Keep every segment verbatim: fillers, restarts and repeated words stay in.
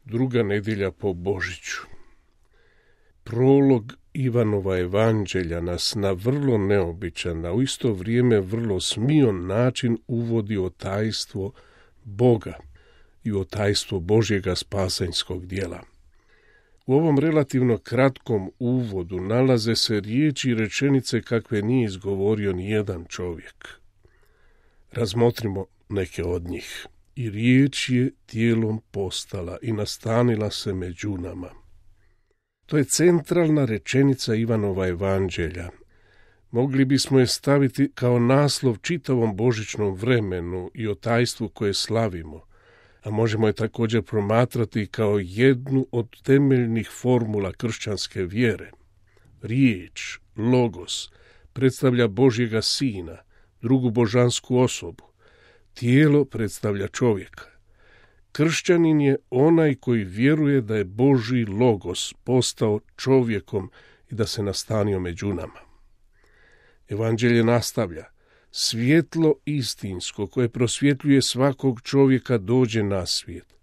Druga nedjelja po Božiću. Prolog Ivanova evanđelja nas na vrlo neobičan, a u isto vrijeme vrlo smion način uvodi o tajstvo Boga i o tajstvo Božjega spasanjskog djela. U ovom relativno kratkom uvodu nalaze se riječi i rečenice kakve nije izgovorio ni jedan čovjek. Razmotrimo neke od njih. I riječ je tijelom postala i nastanila se među nama. To je centralna rečenica Ivanova evanđelja. Mogli bismo je staviti kao naslov čitavom božićnom vremenu i o tajstvu koje slavimo, a možemo je također promatrati kao jednu od temeljnih formula kršćanske vjere. Riječ, logos, predstavlja Božjega sina, drugu božansku osobu. Tijelo predstavlja čovjeka. Kršćanin je onaj koji vjeruje da je Božji logos postao čovjekom i da se nastanio među nama. Evanđelje nastavlja: svjetlo istinsko koje prosvjetljuje svakog čovjeka dođe na svijet.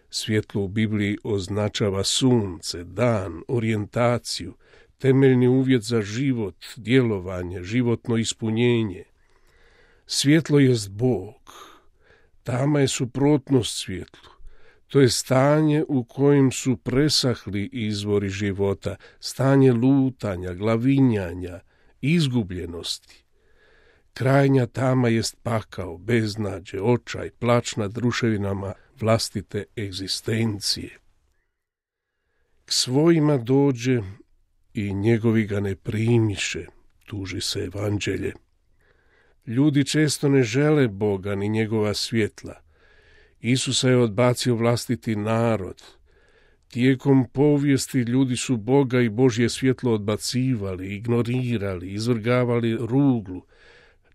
Svjetlo u Bibliji označava sunce, dan, orijentaciju, temeljni uvjet za život, djelovanje, životno ispunjenje. Svjetlo jest Bog. Tama je suprotnost svjetlu. To je stanje u kojem su presahli izvori života, stanje lutanja, glavinjanja, izgubljenosti. Krajnja tama jest pakao, beznađe, očaj, plač nad ruševinama vlastite egzistencije. K svojima dođe i njegovi ga ne primiše, tuži se evanđelje. Ljudi često ne žele Boga ni njegova svjetla. Isusa je odbacio vlastiti narod. Tijekom povijesti ljudi su Boga i Božje svjetlo odbacivali, ignorirali, izvrgavali ruglu,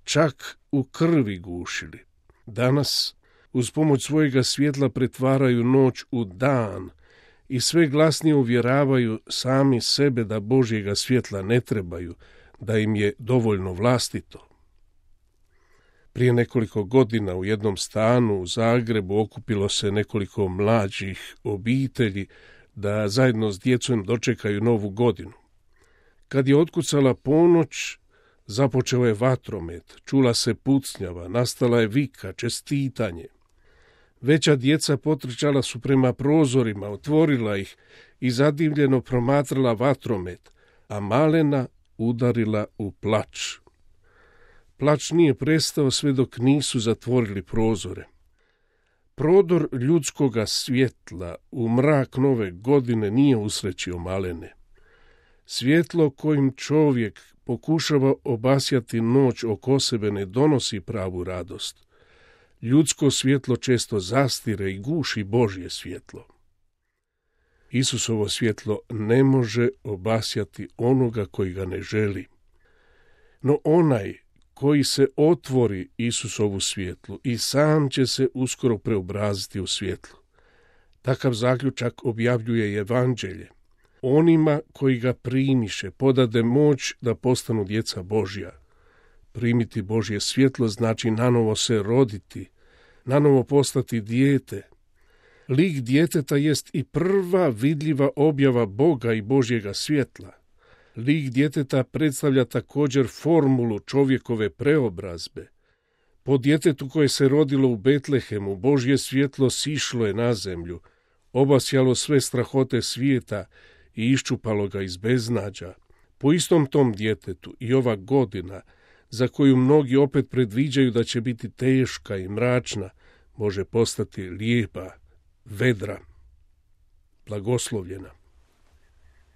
čak u krvi gušili. Danas, uz pomoć svojega svjetla pretvaraju noć u dan i sve glasnije uvjeravaju sami sebe da Božjega svjetla ne trebaju, da im je dovoljno vlastito. Prije nekoliko godina u jednom stanu u Zagrebu okupilo se nekoliko mlađih obitelji da zajedno s djecom dočekaju novu godinu. Kad je otkucala ponoć, započeo je vatromet, čula se pucnjava, nastala je vika, čestitanje. Veća djeca potrčala su prema prozorima, otvorila ih i zadivljeno promatrala vatromet, a malena udarila u plač. Plač nije prestao sve dok nisu zatvorili prozore. Prodor ljudskoga svjetla u mrak nove godine nije usrećio malene. Svjetlo kojim čovjek pokušava obasjati noć oko sebe ne donosi pravu radost. Ljudsko svjetlo često zastire i guši Božje svjetlo. Isusovo svjetlo ne može obasjati onoga koji ga ne želi. No onaj koji se otvori Isusovu svjetlu i sam će se uskoro preobraziti u svjetlo. Takav zaključak objavljuje evanđelje. Onima koji ga primiše podade moć da postanu djeca Božja. Primiti Božje svjetlo znači nanovo se roditi, nanovo postati dijete. Lik djeteta jest i prva vidljiva objava Boga i Božjega svjetla. Lik djeteta predstavlja također formulu čovjekove preobrazbe. Po djetetu koje se rodilo u Betlehemu, Božje svjetlo sišlo je na zemlju, obasjalo sve strahote svijeta i iščupalo ga iz beznađa. Po istom tom djetetu i ova godina, za koju mnogi opet predviđaju da će biti teška i mračna, može postati lijepa, vedra, blagoslovljena.